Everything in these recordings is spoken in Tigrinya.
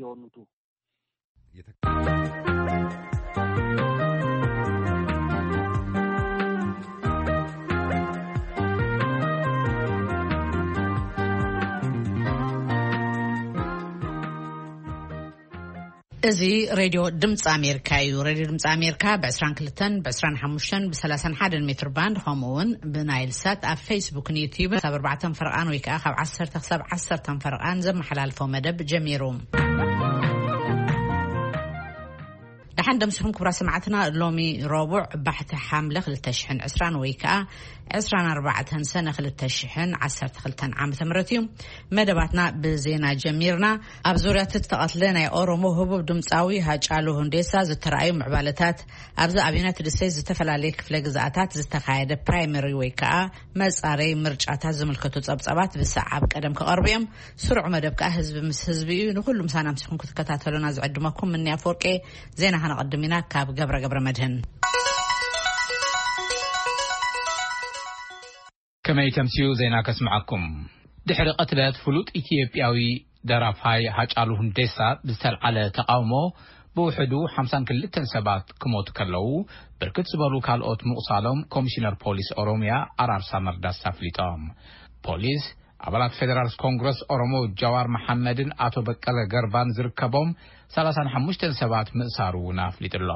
የወኑቱ። እዚ ሬድዮ ድምፂ ኣሜሪካ እዩ። ሬድዮ ድምፂ ኣሜሪካ ብ25፣ ብ31፣ ብ31 ሜትር ባንድ፣ ከምኡ እውን ብናይል ሳት ኣብ ፌስቡክን ዩቲዩብን ካብ ኣርባዕተን ፈረቓን ወይ ከዓ ካብ ዓሰርተ ክሳብ ዓሰርተን ፈረቓን ዘመሓላልፎ መደብ ጀሚሩ። ደሓን ደምሲኹም ክቡራት ሰማዕትና። ሎሚ ረቡዕ ባሕቲ ሓምለ ክልተ ሽሕን ዕስራን ወይ ከዓ ዕስራን ኣርባዕተን ሰነ ክልተ ሽሕን ዓሰርተ ክልተን ዓመተ ምህረት እዩ። መደባትና ብዜና ጀሚርና። ኣብ ዙርያ እቲ ዝተቐትለ ናይ ኦሮሞ ህቡብ ድምፃዊ ሃጫሉ ሁንዴሳ ዝተረኣዩ ምዕባለታት፣ ኣብዚ ኣብ ዩናይትድ ስቴትስ ዝተፈላለየ ክፍለ ግዝኣታት ዝተኻየደ ፕራይመሪ ወይ ከዓ መጻረይ ምርጫታት ዝምልከቱ ጸብጻባት ብሰዓብ ቀደም ክቐርቡ እዮም። ስሩዕ መደብ ከዓ ህዝቢ ምስ ህዝቢ እዩ። ንኹሉ ምሳና ምሲኹም ክትከታተሉና ዝዕድመኩም ምንያ ፎርቄ። ዜና ከነቐድም ኢና ካብ ገብረ ገብረ መድህን። ከመይ ተምስዩ ዜና ከስምዓኩም። ድሕሪ ቅትለት ፍሉጥ ኢትዮጵያዊ ደራፋይ ሃጫሉ ሁንዴሳ ብዝተልዓለ ተቃውሞ ብውሕዱ ሓምሳን ክልተን ሰባት ክሞቱ ከለዉ፣ ብርክት ዝበሉ ካልኦት ምቑሳሎም ኮሚሽነር ፖሊስ ኦሮሚያ ኣራርሳ መርዳሳ ኣፍሊጦም። ፖሊስ ኣባላት ፌደራል ኮንግረስ ኦሮሞ ጃዋር መሓመድን ኣቶ በቀለ ገርባን ዝርከቦም ሰላሳን ሓሙሽተን ሰባት ምእሳሩ እውን ኣፍሊጡ ኣሎ።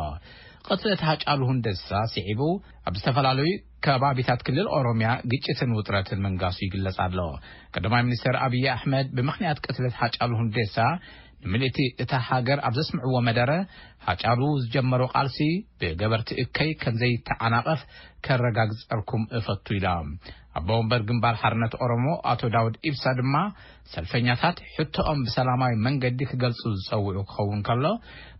ቅትለት ሃጫሉ ሁንደሳ ስዒቡ ኣብ ዝተፈላለዩ ከባቢታት ክልል ኦሮሚያ ግጭትን ውጥረትን ምንጋሱ ይግለጽ ኣሎ። ቀዳማይ ሚኒስትር ኣብይ ኣሕመድ ብምኽንያት ቅትለት ሃጫሉ ሁንዴሳ ንምልእቲ እታ ሃገር ኣብ ዘስምዕዎ መደረ፣ ሃጫሉ ዝጀመሮ ቃልሲ ብገበርቲ እከይ ከም ዘይተዓናቐፍ ከረጋግጸልኩም እፈቱ ኢሎም። ኣቦ ወንበር ግንባር ሓርነት ኦሮሞ ኣቶ ዳውድ ኢብሳ ድማ ሰልፈኛታት ሕቶኦም ብሰላማዊ መንገዲ ክገልጹ ዝጸውዑ ክኸውን ከሎ፣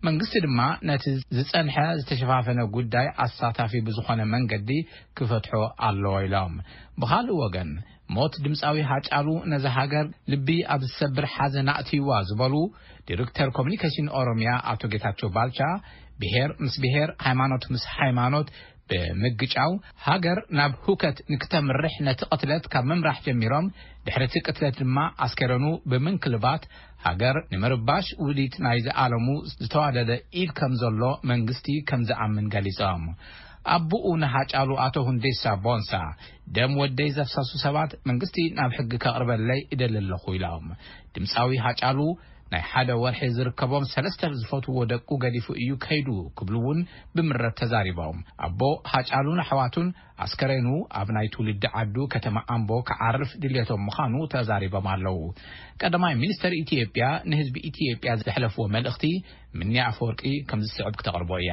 መንግስቲ ድማ ነቲ ዝጸንሐ ዝተሸፋፈነ ጉዳይ ኣሳታፊ ብዝኾነ መንገዲ ክፈትሖ ኣለዎ ኢሎም። ብኻልእ ወገን፣ ሞት ድምፃዊ ሃጫሉ ነዛ ሃገር ልቢ ኣብ ዝሰብር ሓዘን ኣእትይዋ ዝበሉ ዲሬክተር ኮሚኒኬሽን ኦሮሚያ ኣቶ ጌታቸው ባልቻ፣ ብሄር ምስ ብሄር፣ ሃይማኖት ምስ ሃይማኖት ብምግጫው ሃገር ናብ ሁከት ንክተምርሕ ነቲ ቅትለት ካብ ምምራሕ ጀሚሮም፣ ድሕሪ እቲ ቅትለት ድማ ኣስከረኑ ብምንክልባት ሃገር ንምርባሽ ውዲት ናይ ዝኣለሙ ዝተዋደደ ኢድ ከም ዘሎ መንግስቲ ከም ዝኣምን ገሊጾም። ኣቦኡ ንሃጫሉ ኣቶ ሁንዴሳ ቦንሳ፣ ደም ወደይ ዘፍሰሱ ሰባት መንግስቲ ናብ ሕጊ ከቕርበለይ እደሊ ኣለኹ ኢሎም። ድምፃዊ ሃጫሉ ናይ ሓደ ወርሒ ዝርከቦም ሰለስተ ዝፈትዎ ደቁ ገዲፉ እዩ ከይዱ ክብሉ እውን ብምረት ተዛሪቦም። ኣቦ ሃጫሉን ኣሕዋቱን ኣስከሬኑ ኣብ ናይ ትውልዲ ዓዱ ከተማ ኣምቦ ክዓርፍ ድልየቶም ምዃኑ ተዛሪቦም ኣለዉ። ቀዳማይ ሚኒስተር ኢትዮጵያ ንህዝቢ ኢትዮጵያ ዘሕለፍዎ መልእኽቲ ምንያ ኣፈወርቂ ከም ዝስዕብ ክተቕርቦ እያ።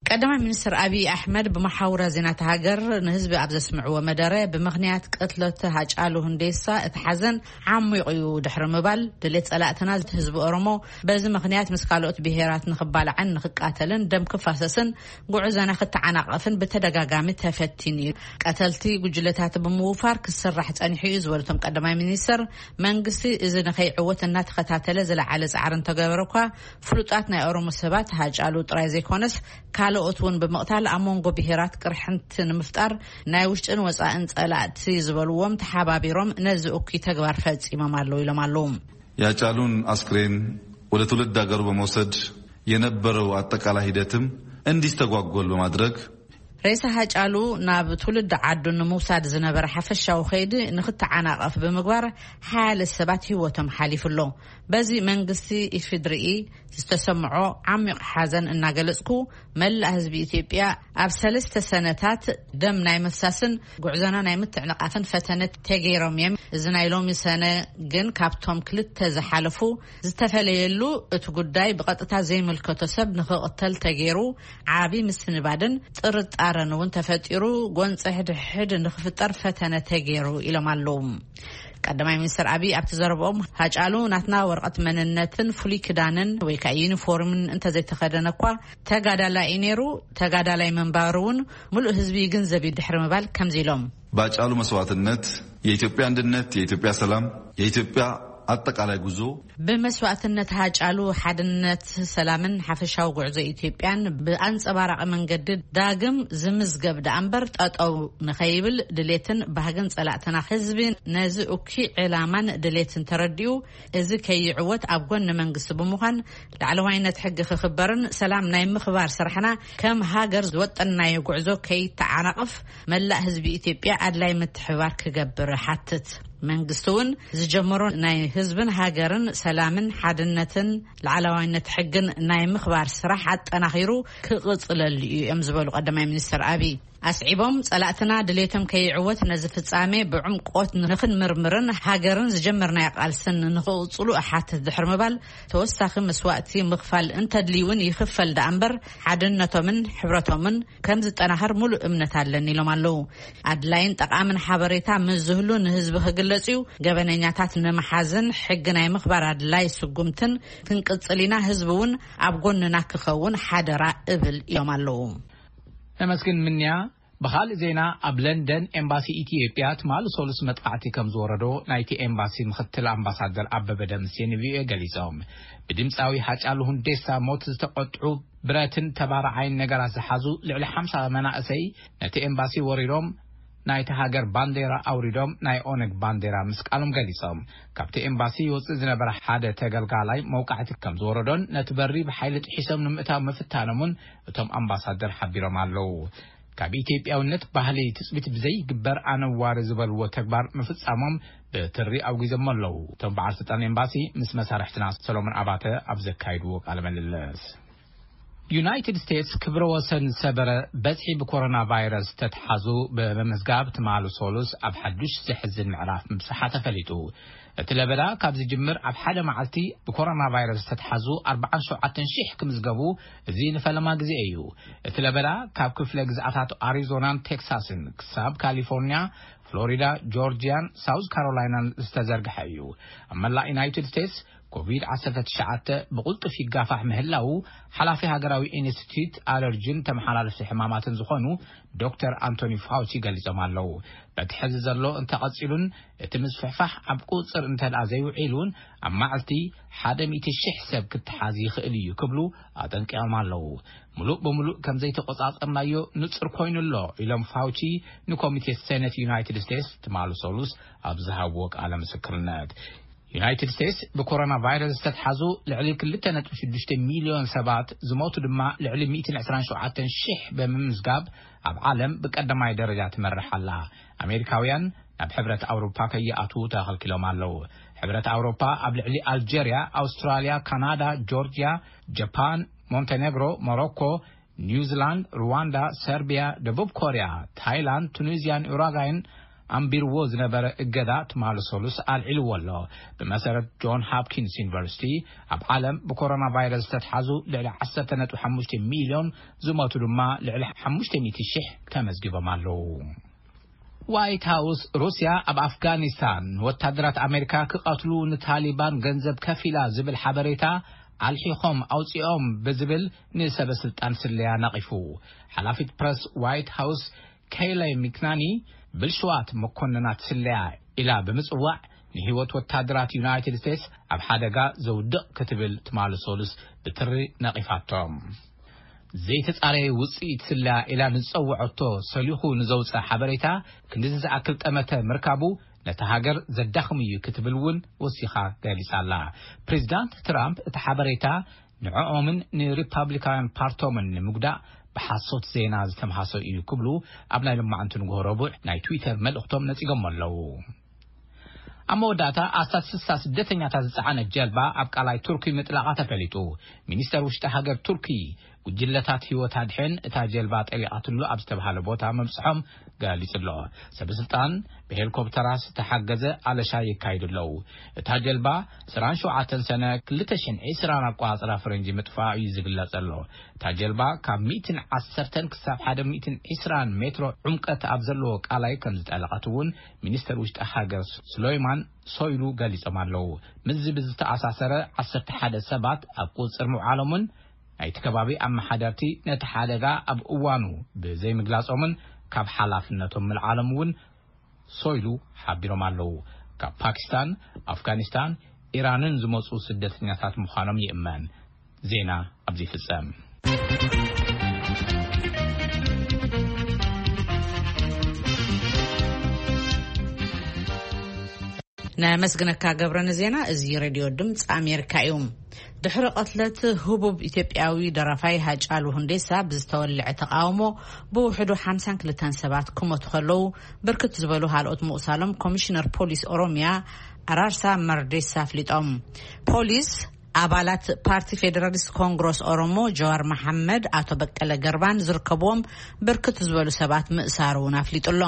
ቀዳማይ ሚኒስትር ኣብይ ኣሕመድ ብመሓውራ ዜናት ሃገር ንህዝቢ ኣብ ዘስምዕዎ መደረ፣ ብምኽንያት ቅትለት ሃጫሉ ሁንዴሳ እቲ ሓዘን ዓሚቑ እዩ ድሕሪ ምባል፣ ድሌት ጸላእትና ህዝቢ ኦሮሞ በዚ ምኽንያት ምስ ካልኦት ብሄራት ንኽባላዕን ንኽቃተልን ደም ክፋሰስን ጉዕዞና ክተዓናቐፍን ብተደጋጋሚ ተፈቲኑ እዩ። ቀተልቲ ጉጅለታት ብምውፋር ክስራሕ ጸኒሑ እዩ ዝበሉ እቶም ቀዳማይ ሚኒስትር፣ መንግስቲ እዚ ንኸይዕወት እናተኸታተለ ዝለዓለ ጻዕሪ እንተገበረ እኳ፣ ፍሉጣት ናይ ኦሮሞ ሰባት ሃጫሉ ጥራይ ዘይኮነስ ካልኦት እውን ብምቕታል ኣብ መንጎ ብሄራት ቅርሕንቲ ንምፍጣር ናይ ውሽጥን ወፃእን ጸላእቲ ዝበልዎም ተሓባቢሮም ነዚ እኩይ ተግባር ፈጺሞም ኣለዉ ኢሎም ኣለዉ። ያጫሉን አስክሬን ወደ ትውልድ ሀገሩ በመውሰድ የነበረው አጠቃላይ ሂደትም እንዲስተጓጎል በማድረግ፣ ሬሳ ሃጫሉ ናብ ትውልዲ ዓዱ ንምውሳድ ዝነበረ ሓፈሻዊ ከይዲ ንክተዓናቐፍ ብምግባር ሓያለ ሰባት ህይወቶም ሓሊፉ ኣሎ። በዚ መንግስቲ ኢፌድሪኢ ዝተሰምዖ ዓሚቕ ሓዘን እናገለጽኩ፣ መላእ ህዝቢ ኢትዮጵያ ኣብ ሰለስተ ሰነታት ደም ናይ ምፍሳስን ጉዕዞና ናይ ምትዕንቓፍን ፈተነ ተገይሮም እዮም። እዚ ናይ ሎሚ ሰነ ግን ካብቶም ክልተ ዝሓለፉ ዝተፈለየሉ፣ እቲ ጉዳይ ብቐጥታ ዘይምልከቶ ሰብ ንኽቕተል ተገይሩ ዓቢ ምስንባድን ጥርጣረን እውን ተፈጢሩ፣ ጎንፂ ሕድሕድ ንኽፍጠር ፈተነ ተገይሩ ኢሎም ኣለዉ። ቀዳማይ ሚኒስትር ኣቢይ ኣብቲ ዘረብኦም፣ ሃጫሉ ናትና ወረቐት መንነትን ፍሉይ ክዳንን ወይ ከዓ ዩኒፎርምን እንተዘይተኸደነ እኳ ተጋዳላይ እዩ ነይሩ፣ ተጋዳላይ ምንባሩ እውን ምሉእ ህዝቢ ይግንዘብ እዩ ድሕሪ ምባል ከምዚ ኢሎም። በሃጫሉ መስዋዕትነት የኢትዮጵያ አንድነት፣ የኢትዮጵያ ሰላም፣ የኢትዮጵያ ኣጠቃላይ ጉዞ ብመስዋእትነት ሃጫሉ ሓድነት፣ ሰላምን ሓፈሻዊ ጉዕዞ ኢትዮጵያን ብኣንጸባራቂ መንገዲ ዳግም ዝምዝገብ ደኣ እምበር፣ ጠጠው ንኸይብል ድሌትን ባህግን ጸላእትና ህዝቢ ነዚ እኩይ ዕላማን ድሌትን ተረዲኡ፣ እዚ ከይዕወት ኣብ ጎኒ መንግስቲ ብምዃን፣ ላዕለዋይነት ሕጊ ክኽበርን ሰላም ናይ ምኽባር ስራሕና ከም ሃገር ዝወጠንናዮ ጉዕዞ ከይተዓናቕፍ፣ መላእ ህዝቢ ኢትዮጵያ ኣድላይ ምትሕባር ክገብር ሓትት። መንግስቲ እውን ዝጀመሮ ናይ ህዝብን ሃገርን ሰላምን ሓድነትን ላዕለዋይነት ሕግን ናይ ምኽባር ስራሕ ኣጠናኺሩ ክቕጽለሉ እዩ እዮም ዝበሉ ቀዳማይ ሚኒስትር ኣብይ ኣስዒቦም፣ ጸላእትና ድሌቶም ከይዕወት ነዚ ፍጻሜ ብዕምቆት ንኽንምርምርን ሃገርን ዝጀመርናዮ ቃልስን ንኽቕጽሉ እሓትት ድሕሪ ምባል፣ ተወሳኺ መስዋእቲ ምኽፋል እንተድልዩ እውን ይኽፈል ደኣ እምበር፣ ሓድነቶምን ሕብረቶምን ከም ዝጠናኸር ሙሉእ እምነት ኣለኒ ኢሎም ኣለዉ። ኣድላይን ጠቓምን ሓበሬታ ምስ ዝህሉ ንህዝቢ ክግለጽ እዩ። ገበነኛታት ንምሓዝን ሕጊ ናይ ምኽባር ኣድላይ ስጉምትን ክንቅጽል ኢና። ህዝቢ እውን ኣብ ጎንና ክኸውን ሓደራ እብል ኢሎም ኣለዉ። ነመስግን ምንያ። ብኻልእ ዜና፣ ኣብ ለንደን ኤምባሲ ኢትዮጵያ ትማሊ ሰሉስ መጥቃዕቲ ከም ዝወረዶ ናይቲ ኤምባሲ ምኽትል ኣምባሳደር ኣበበ ደምሴ ንቪኦኤ ገሊጾም። ብድምፃዊ ሃጫሉ ሁንዴሳ ሞት ዝተቆጥዑ ብረትን ተባራዓይን ነገራት ዝሓዙ ልዕሊ ሓምሳ መናእሰይ ነቲ ኤምባሲ ወሪሮም ናይቲ ሃገር ባንዴራ ኣውሪዶም ናይ ኦነግ ባንዴራ ምስቃሎም ገሊጾም። ካብቲ ኤምባሲ ይወፅእ ዝነበረ ሓደ ተገልጋላይ መውቃዕቲ ከም ዝወረዶን ነቲ በሪ ብሓይሊ ጥሒሶም ንምእታው ምፍታኖምን እቶም ኣምባሳደር ሓቢሮም ኣለዉ። ካብ ኢትዮጵያውነት ባህሊ ትጽቢት ብዘይግበር ኣነዋሪ ዝበልዎ ተግባር ምፍጻሞም ብትሪ ኣውጊዞም ኣለዉ። እቶም በዓል ስልጣን ኤምባሲ ምስ መሳርሕትና ሰሎሞን ኣባተ ኣብ ዘካይድዎ ቃለ ምልልስ፣ ዩናይትድ ስቴትስ ክብረ ወሰን ዝሰበረ በዝሒ ብኮሮና ቫይረስ ተትሓዙ ብምምዝጋብ ትማሊ ሶሉስ ኣብ ሓዱሽ ዘሕዝን ምዕራፍ ምብጽሓ ተፈሊጡ። እቲ ለበዳ ካብ ዝጅምር ኣብ ሓደ መዓልቲ ብኮሮና ቫይረስ ዝተትሓዙ ኣርባዓን ሸውዓተን ሺሕ ክምዝገቡ፣ እዚ ንፈለማ ግዜ እዩ። እቲ ለበዳ ካብ ክፍለ ግዝኣታት ኣሪዞናን ቴክሳስን ክሳብ ካሊፎርኒያ፣ ፍሎሪዳ፣ ጆርጂያን ሳውዝ ካሮላይናን ዝተዘርግሐ እዩ። ኣብ መላእ ዩናይትድ ስቴትስ ኮቪድ ዓሰርተ ትሽዓተ ብቕልጡፍ ይጋፋሕ ምህላዉ ሓላፊ ሃገራዊ ኢንስቲትዩት ኣለርጂን ተመሓላለፍቲ ሕማማትን ዝኾኑ ዶክተር ኣንቶኒ ፋውቺ ገሊጾም ኣለዉ። በቲ ሕዚ ዘሎ እንተቐጺሉን እቲ ምስፍሕፋሕ ኣብ ቁጽር እንተደኣ ዘይውዒሉን፣ ኣብ መዓልቲ ሓደ ሚእቲ ሺሕ ሰብ ክትሓዝ ይኽእል እዩ ክብሉ ኣጠንቂቖም ኣለዉ። ምሉእ ብምሉእ ከም ዘይተቆጻጸርናዮ ንጹር ኮይኑ ኣሎ ኢሎም ፋውቺ ንኮሚቴ ሴኔት ዩናይትድ ስቴትስ ትማሊ ሰሉስ ኣብ ዝሃብዎ ቃለ ምስክርነት። ዩናይትድ ስቴትስ ብኮሮና ቫይረስ ዝተትሓዙ ልዕሊ ክልተ ነጥቢ ሽዱሽተ ሚልዮን ሰባት፣ ዝሞቱ ድማ ልዕሊ ሚእትን ዕስራን ሸውዓተን ሺሕ ብምምዝጋብ ኣብ ዓለም ብቀዳማይ ደረጃ ትመርሕ ኣላ። ኣሜሪካውያን ናብ ሕብረት ኣውሮፓ ከይኣትዉ ተኸልኪሎም ኣለዉ። ሕብረት ኣውሮፓ ኣብ ልዕሊ ኣልጀርያ፣ ኣውስትራልያ፣ ካናዳ፣ ጆርጅያ፣ ጃፓን፣ ሞንቴኔግሮ፣ ሞሮኮ፣ ኒውዚላንድ፣ ሩዋንዳ፣ ሰርቢያ፣ ደቡብ ኮርያ፣ ታይላንድ፣ ቱኒዝያን ኡራጋይን ኣንቢርዎ ዝነበረ እገዳ ትማሊ ሰሉስ ኣልዒልዎ ኣሎ። ብመሰረት ጆን ሃፕኪንስ ዩኒቨርሲቲ፣ ኣብ ዓለም ብኮሮና ቫይረስ ዝተትሓዙ ልዕሊ ዓሰርተ ነጥቢ ሓሙሽተ ሚልዮን፣ ዝሞቱ ድማ ልዕሊ ሓሙሽተ ሚእቲ ሺሕ ተመዝጊቦም ኣለዉ። ዋይት ሃውስ፣ ሩስያ ኣብ ኣፍጋኒስታን ወታደራት ኣሜሪካ ክቐትሉ ንታሊባን ገንዘብ ከፊላ ዝብል ሓበሬታ ኣልሒኾም ኣውፂኦም ብዝብል ንሰበ ስልጣን ስለያ ነቒፉ። ሓላፊት ፕረስ ዋይት ሃውስ ኬይለ ሚክናኒ፣ ብልሽዋት መኮንናት ስለያ ኢላ ብምጽዋዕ፣ ንህይወት ወታደራት ዩናይትድ ስቴትስ ኣብ ሓደጋ ዘውድቕ ክትብል ትማሊ ሰሉስ ብትሪ ነቒፋቶም። ዘይተጻረየ ውጽኢት ስለያ ኢላ ንዝጸውዐቶ ሰሊኹ ንዘውጽእ ሓበሬታ ክንድዚ ዝኣክል ጠመተ ምርካቡ ነታ ሃገር ዘዳኽም እዩ ክትብል እውን ወሲኻ ገሊጻ ኣላ። ፕሬዚዳንት ትራምፕ እቲ ሓበሬታ ንዕኦምን ንሪፓብሊካውያን ፓርቶምን ንምጉዳእ ብሓሶት ዜና ዝተምሃሶ እዩ ክብሉ ኣብ ናይ ሎማዕንቲ ንግሆ ረቡዕ ናይ ትዊተር መልእኽቶም ነጺጎም ኣለዉ። ኣብ መወዳእታ ኣስታት ስሳ ስደተኛታት ዝጸዓነት ጀልባ ኣብ ቃላይ ቱርኪ ምጥላቓ ተፈሊጡ። ሚኒስተር ውሽጢ ሃገር ቱርኪ ጉጅለታት ህይወት ኣድሕን እታ ጀልባ ጠሊቓትሉ ኣብ ዝተባሃለ ቦታ ምብጽሖም ገሊጹ ኣሎ። ሰበስልጣን ብሄሊኮፕተራት ዝተሓገዘ ኣለሻ የካይዱ ኣለዉ። እታ ጀልባ ዕስራን ሸውዓተን ሰነ ክልተ ሽሕን ዕስራን ኣቆጻጽራ ፈረንጂ ምጥፋእ እዩ ዝግለጽ ዘሎ። እታ ጀልባ ካብ ሚእትን ዓሰርተን ክሳብ ሓደ ሚእትን ዕስራን ሜትሮ ዕምቀት ኣብ ዘለዎ ቃላይ ከም ዝጠለቐት እውን ሚኒስተር ውሽጢ ሃገር ሱሌይማን ሶይሉ ገሊጾም ኣለዉ። ምስዚ ብዝተኣሳሰረ ዓሰርተ ሓደ ሰባት ኣብ ቁጽጽር ምውዓሎምን ናይቲ ከባቢ ኣመሓደርቲ ነቲ ሓደጋ ኣብ እዋኑ ብዘይምግላጾምን ካብ ሓላፍነቶም ምልዓሎም እውን ሶይሉ ሓቢሮም ኣለዉ። ካብ ፓኪስታን፣ ኣፍጋኒስታን፣ ኢራንን ዝመጹ ስደተኛታት ምዃኖም ይእመን። ዜና ኣብዚ ይፍጸም። ነመስግነካ ገብረ ንዜና። እዚ ሬድዮ ድምፂ ኣሜሪካ እዩ። ድሕሪ ቀትለት ህቡብ ኢትዮጵያዊ ደራፋይ ሃጫሉ ሁንዴሳ ብዝተወልዐ ተቃውሞ ብውሕዱ ሓምሳን ክልተን ሰባት ክሞቱ ከለዉ፣ ብርክት ዝበሉ ካልኦት ምቁሳሎም ኮሚሽነር ፖሊስ ኦሮሚያ ኣራርሳ መርዴሳ ኣፍሊጦም። ፖሊስ ኣባላት ፓርቲ ፌደራሊስት ኮንግረስ ኦሮሞ ጀዋር መሓመድ፣ ኣቶ በቀለ ገርባን ዝርከብዎም ብርክት ዝበሉ ሰባት ምእሳሩ እውን ኣፍሊጡ ኣሎ።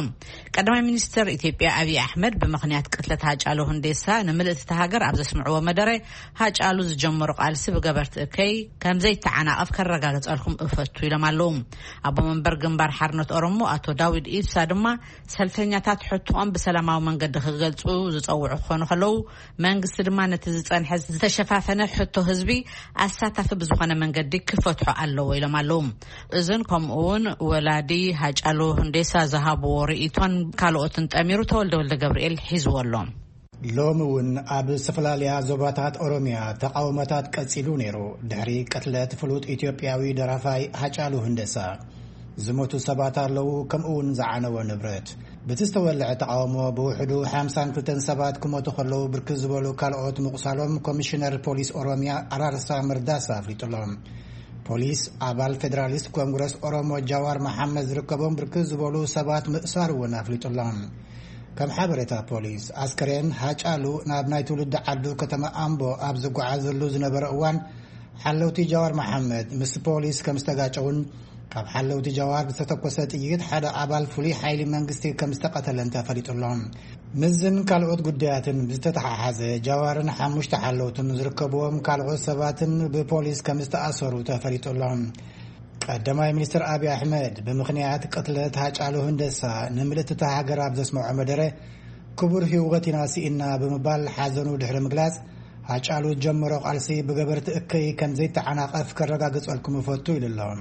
ቀዳማይ ሚኒስትር ኢትዮጵያ ኣብይ ኣሕመድ ብምኽንያት ቅትለት ሃጫሉ ሁንዴሳ ንምልእቲ እታ ሃገር ኣብ ዘስምዕዎ መደረ፣ ሃጫሉ ዝጀመሮ ቃልሲ ብገበርቲ እከይ ከም ዘይተዓናቐፍ ከረጋግጸልኩም እፈቱ ኢሎም ኣለዉ። ኣቦ መንበር ግንባር ሓርነት ኦሮሞ ኣቶ ዳዊድ ኢብሳ ድማ ሰልፈኛታት ሕቶኦም ብሰላማዊ መንገዲ ክገልጹ ዝጸውዑ ክኾኑ ከለዉ፣ መንግስቲ ድማ ነቲ ዝጸንሐ ዝተሸፋፈነ ሕቶ ህዝቢ ኣሳታፊ ብዝኾነ መንገዲ ክፈትሖ ኣለዎ ኢሎም ኣለዉ። እዝን ከምኡ እውን ወላዲ ሃጫሉ ሁንዴሳ ዝሃብዎ ርእይቶን ካልኦትን ጠሚሩ ተወልደ ወልደ ገብርኤል ሒዝዎ ኣሎ። ሎሚ እውን ኣብ ዝተፈላለያ ዞባታት ኦሮሚያ ተቃውሞታት ቀጺሉ ነይሩ። ድሕሪ ቅትለት ፍሉጥ ኢትዮጵያዊ ደራፋይ ሃጫሉ ሁንደሳ ዝሞቱ ሰባት ኣለዉ፣ ከምኡ እውን ዝዓነወ ንብረት። ብቲ ዝተወልዐ ተቃውሞ ብውሕዱ ሓምሳን ክልተን ሰባት ክሞቱ ከለዉ፣ ብርክት ዝበሉ ካልኦት ምቁሳሎም ኮሚሽነር ፖሊስ ኦሮሚያ ኣራርሳ መርዳሳ ኣፍሊጡ ኣሎ። ፖሊስ ኣባል ፌደራሊስት ኮንግረስ ኦሮሞ ጃዋር መሓመድ ዝርከቦም ብርክት ዝበሉ ሰባት ምእሳር እውን ኣፍሊጡ ኣሎ። ከም ሓበሬታ ፖሊስ፣ ኣስከሬን ሃጫሉ ናብ ናይ ትውልዲ ዓዱ ከተማ ኣምቦ ኣብ ዝጓዓዘሉ ዝነበረ እዋን፣ ሓለውቲ ጃዋር መሓመድ ምስ ፖሊስ ከም ዝተጋጨውን፣ ካብ ሓለውቲ ጃዋር ብዝተተኮሰ ጥይት ሓደ ኣባል ፍሉይ ሓይሊ መንግስቲ ከም ዝተቐተለን ተፈሊጡ ኣሎ። ምስዝን ካልኦት ጉዳያትን ብዝተተሓሓዘ፣ ጃዋርን ሓሙሽተ ሓለውትን ዝርከብዎም ካልኦት ሰባትን ብፖሊስ ከም ዝተኣሰሩ ተፈሊጡ ኣሎ። ቀዳማይ ሚኒስትር ኣብይ ኣሕመድ፣ ብምኽንያት ቅትለት ሃጫሉ ሁንደሳ ንምልእቲ እታ ሃገር ኣብ ዘስምዖ መደረ፣ ክቡር ህይወት ኢና ስኢና ብምባል ሓዘኑ ድሕሪ ምግላጽ፣ ሃጫሉ ዝጀመሮ ቃልሲ ብገበርቲ እከይ ከም ዘይተዓናቐፍ ከረጋግጸልኩም እፈቱ ኢሉ ኣሎ።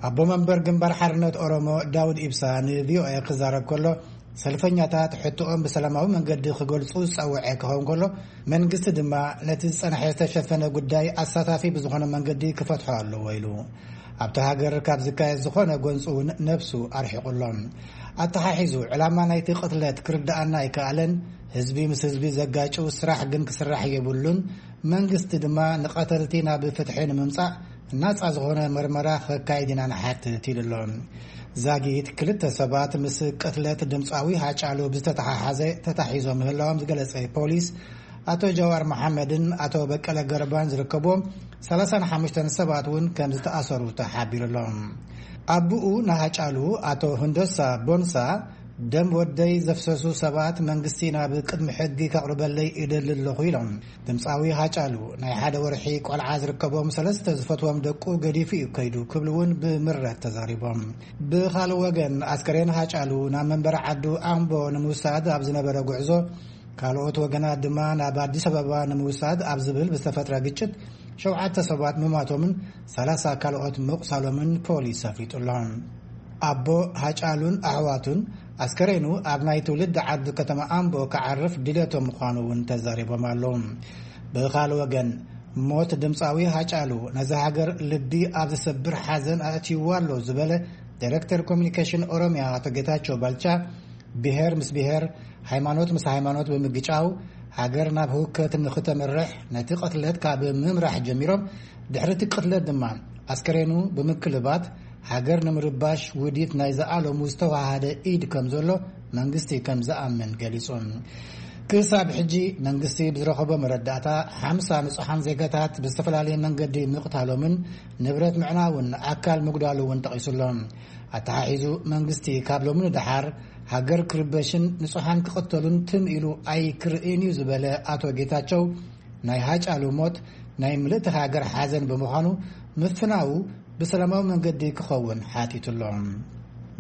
ኣቦ መንበር ግንባር ሓርነት ኦሮሞ ዳውድ ኢብሳ ንቪኦኤ ክዛረብ ከሎ፣ ሰልፈኛታት ሕቶኦም ብሰላማዊ መንገዲ ክገልጹ ዝጸውዐ ክኸውን ከሎ፣ መንግስቲ ድማ ነቲ ዝጸንሐ ዝተሸፈነ ጉዳይ ኣሳታፊ ብዝኾነ መንገዲ ክፈትሖ ኣለዎ ኢሉ። ኣብቲ ሃገር ካብ ዝካየድ ዝኾነ ጎንፂ እውን ነብሱ ኣርሒቑ ኣሎ። ኣተሓሒዙ፣ ዕላማ ናይቲ ቅትለት ክርድኣና ኣይከኣለን። ህዝቢ ምስ ህዝቢ ዘጋጭው ስራሕ ግን ክስራሕ የብሉን። መንግስቲ ድማ ንቐተልቲ ናብ ፍትሒ ንምምፃእ ናፃ ዝኾነ መርመራ ከካይድ ኢና ንሓትት ኢሉ ኣሎ። ዛጊት ክልተ ሰባት ምስ ቅትለት ድምፃዊ ሃጫሉ ብዝተተሓሓዘ ተታሒዞም ምህላዎም ዝገለጸ ፖሊስ፣ ኣቶ ጀዋር መሓመድን ኣቶ በቀለ ገርባን ዝርከብዎም ሰላሳን ሓሙሽተን ሰባት እውን ከም ዝተኣሰሩ ተሓቢሩ ኣሎ። ኣቦኡ ንሃጫሉ ኣቶ ህንዶሳ ቦንሳ፣ ደም ወደይ ዘፍሰሱ ሰባት መንግስቲ ናብ ቅድሚ ሕጊ ከቕርበለይ እደሊ ኣለኹ ኢሎም። ድምፃዊ ሃጫሉ ናይ ሓደ ወርሒ ቆልዓ ዝርከቦም ሰለስተ ዝፈትዎም ደቁ ገዲፉ እዩ ከይዱ ክብሉ እውን ብምረት ተዛሪቦም። ብኻልእ ወገን፣ ኣስከሬን ሃጫሉ ናብ መንበሪ ዓዱ ኣምቦ ንምውሳድ ኣብ ዝነበረ ጉዕዞ፣ ካልኦት ወገናት ድማ ናብ ኣዲስ ኣበባ ንምውሳድ ኣብ ዝብል ብዝተፈጥረ ግጭት ሸውዓተ ሰባት ምማቶምን ሰላሳ ካልኦት ምቑሳሎምን ፖሊስ ኣፍሊጡ ኣሎ። ኣቦ ሃጫሉን ኣሕዋቱን፣ ኣስከሬኑ ኣብ ናይ ትውልዲ ዓዱ ከተማ ኣምቦ ክዓርፍ ድሌቶም ምዃኑ እውን ተዛሪቦም ኣለዉ። ብኻልእ ወገን፣ ሞት ድምፃዊ ሃጫሉ ነዚ ሃገር ልቢ ኣብ ዝሰብር ሓዘን ኣእትይዋ ኣሎ ዝበለ ዳይሬክተር ኮሚኒኬሽን ኦሮሚያ ኣቶ ጌታቸው ባልቻ፣ ብሄር ምስ ብሄር፣ ሃይማኖት ምስ ሃይማኖት ብምግጫው፣ ሃገር ናብ ህውከት ንኽተምርሕ፣ ነቲ ቅትለት ካብ ምምራሕ ጀሚሮም፣ ድሕሪ እቲ ቅትለት ድማ ኣስከሬኑ ብምክልባት፣ ሃገር ንምርባሽ ውዲት ናይ ዝኣለሙ ዝተዋሃደ ኢድ ከም ዘሎ መንግስቲ ከም ዝኣምን ገሊጹ። ክሳብ ሕጂ መንግስቲ ብዝረኸቦ መረዳእታ፣ ሓምሳ ንጹሓን ዜጋታት ብዝተፈላለየ መንገዲ ምቕታሎምን ንብረት ምዕናውን ኣካል ምጉዳሉ እውን ጠቒሱ ኣሎ። ኣተሓሒዙ፣ መንግስቲ ካብ ሎሚ ንደሓር ሃገር ክርበሽን ንጹሓን ክቕተሉን ትም ኢሉ ኣይክርእን እዩ ዝበለ ኣቶ ጌታቸው፣ ናይ ሃጫሉ ሞት ናይ ምልእቲ ሃገር ሓዘን ብምዃኑ፣ ምፍናዉ ብሰላማዊ መንገዲ ክኸውን ሓቲቱ ኣሎ።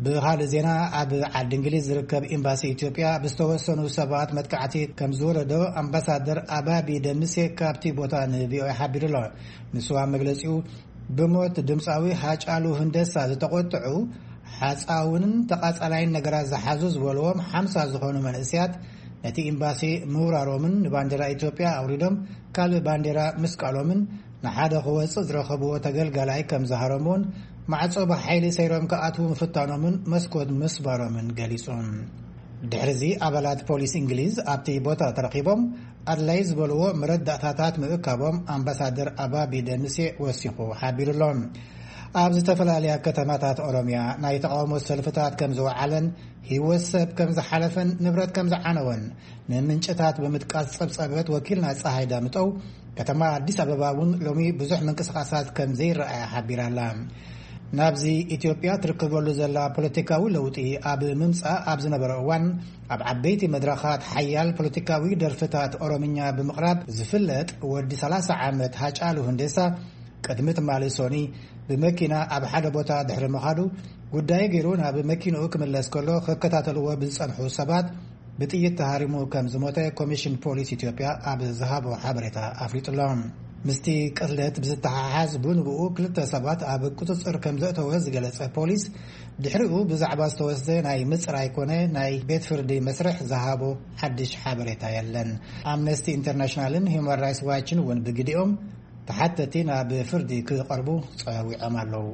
ብኻልእ ዜና፣ ኣብ ዓዲ እንግሊዝ ዝርከብ ኤምባሲ ኢትዮጵያ ብዝተወሰኑ ሰባት መጥቃዕቲ ከም ዝወረዶ ኣምባሳደር ኣባቢ ደምሴ ካብቲ ቦታ ንቪኦኤ ሓቢሩ ኣሎ። ንሱ ኣብ መግለጺኡ፣ ብሞት ድምፃዊ ሃጫሉ ሁንደሳ ዝተቆጥዑ፣ ሓፃውንን ተቓፃላይን ነገራት ዝሓዙ ዝበልዎም ሓምሳ ዝኾኑ መንእሰያት ነቲ ኤምባሲ ምውራሮምን ንባንዴራ ኢትዮጵያ ኣውሪዶም ካልእ ባንዴራ ምስቃሎምን ንሓደ ክወጽእ ዝረኸብዎ ተገልጋላይ ከም ዝሃረምዎን ማዕጾ ብሓይሊ ሰይሮም ክኣትዉ ምፍታኖምን መስኮት ምስባሮምን ገሊጹ። ድሕሪዚ ኣባላት ፖሊስ እንግሊዝ ኣብቲ ቦታ ተረኺቦም ኣድላይ ዝበልዎ መረዳእታታት ምእካቦም ኣምባሳደር ኣባቢ ደምሴ ወሲኹ ሓቢሩ ኣሎ። ኣብ ዝተፈላለያ ከተማታት ኦሮምያ ናይ ተቓውሞ ሰልፍታት ከም ዝወዓለን ህይወት ሰብ ከም ዝሓለፈን ንብረት ከም ዝዓነወን ንምንጭታት ብምጥቃስ ጸብጸበት ወኪልና ጸሃይ ዳምጠው፣ ከተማ ኣዲስ ኣበባ እውን ሎሚ ብዙሕ ምንቅስቃሳት ከም ዘይረኣያ ሓቢራ ኣላ። ናብዚ ኢትዮጵያ ትርከበሉ ዘላ ፖለቲካዊ ለውጢ ኣብ ምምጻእ ኣብ ዝነበረ እዋን ኣብ ዓበይቲ መድረኻት ሓያል ፖለቲካዊ ደርፍታት ኦሮምኛ ብምቕራብ ዝፍለጥ ወዲ ሰላሳ ዓመት ሃጫሉ ሁንዴሳ ቅድሚ ትማሊ ሶኒ ብመኪና ኣብ ሓደ ቦታ ድሕሪ ምኻዱ ጉዳይ ገይሩ ናብ መኪንኡ ክምለስ ከሎ ክከታተልዎ ብዝጸንሑ ሰባት ብጥይት ተሃሪሙ ከም ዝሞተ ኮሚሽን ፖሊስ ኢትዮጵያ ኣብ ዝሃቦ ሓበሬታ ኣፍሊጡ ኣሎ። ምስቲ ቅትለት ብዝተሓሓዝ ብንብኡ ክልተ ሰባት ኣብ ቁጽጽር ከም ዘእተወ ዝገለጸ ፖሊስ ድሕሪኡ ብዛዕባ ዝተወስደ ናይ ምጽራይ ኮነ ናይ ቤት ፍርዲ መስርሕ ዝሃቦ ሓድሽ ሓበሬታ የለን። ኣምነስቲ ኢንተርናሽናልን ሂውማን ራይትስ ዋችን እውን ብግዲኦም ተሓተቲ ናብ ፍርዲ ክቐርቡ ጸዊዖም ኣለዉ።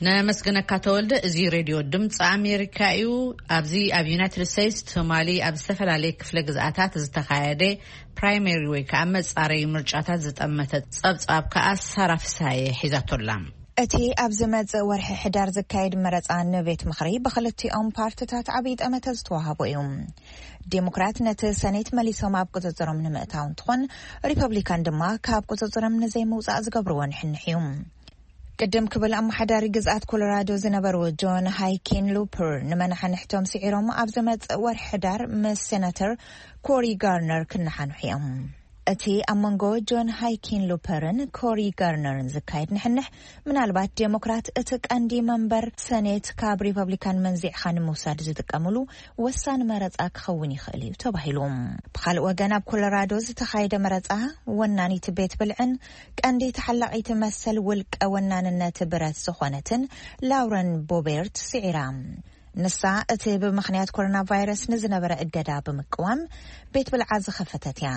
ነመስግነካ ተወልደ። እዚ ሬድዮ ድምፂ ኣሜሪካ እዩ። ኣብዚ ኣብ ዩናይትድ ስቴትስ ትማሊ ኣብ ዝተፈላለየ ክፍለ ግዝኣታት ዝተኻየደ ፕራይመሪ ወይ ከዓ መፃረዩ ምርጫታት ዝጠመተ ፀብፃብ ከዓ ሳራ ፍስሃየ ሒዛቶላ። እቲ ኣብ ዝመጽእ ወርሒ ሕዳር ዝካየድ መረጻ ንቤት ምኽሪ ብኽልቲኦም ፓርትታት ዓብዪ ጠመተ ዝተዋህቦ እዩ። ዴሞክራት ነቲ ሰኔት መሊሶም ኣብ ቁጽጽሮም ንምእታው እንትኾን፣ ሪፐብሊካን ድማ ካብ ቁጽጽሮም ንዘይምውጻእ ዝገብርዎ ንሕንሕ እዩ። ቅድም ክብል ኣመሓዳሪ ግዝኣት ኮሎራዶ ዝነበሩ ጆን ሃይኪን ሉፐር ንመናሕንሕቶም ስዒሮም ኣብ ዝመጽእ ወርሒ ሕዳር ምስ ሴናተር ኮሪ ጋርነር ክነሓንሑ እዮም። እቲ ኣብ መንጎ ጆን ሃይኪን ሉፐርን ኮሪ ጋርነርን ዝካየድ ንሕንሕ፣ ምናልባት ዴሞክራት እቲ ቀንዲ መንበር ሰኔት ካብ ሪፐብሊካን መንዚዕኻ ንምውሳድ ዝጥቀምሉ ወሳኒ መረጻ ክኸውን ይኽእል እዩ ተባሂሉ። ብኻልእ ወገን፣ ኣብ ኮሎራዶ ዝተኻየደ መረጻ፣ ወናኒት ቤት ብልዕን ቀንዲ ተሓላቒት መሰል ውልቀ ወናንነት ብረት ዝኾነትን ላውረን ቦቤርት ስዒራ። ንሳ እቲ ብምኽንያት ኮሮና ቫይረስ ንዝነበረ እገዳ ብምቅዋም ቤት ብልዓ ዝኸፈተት እያ።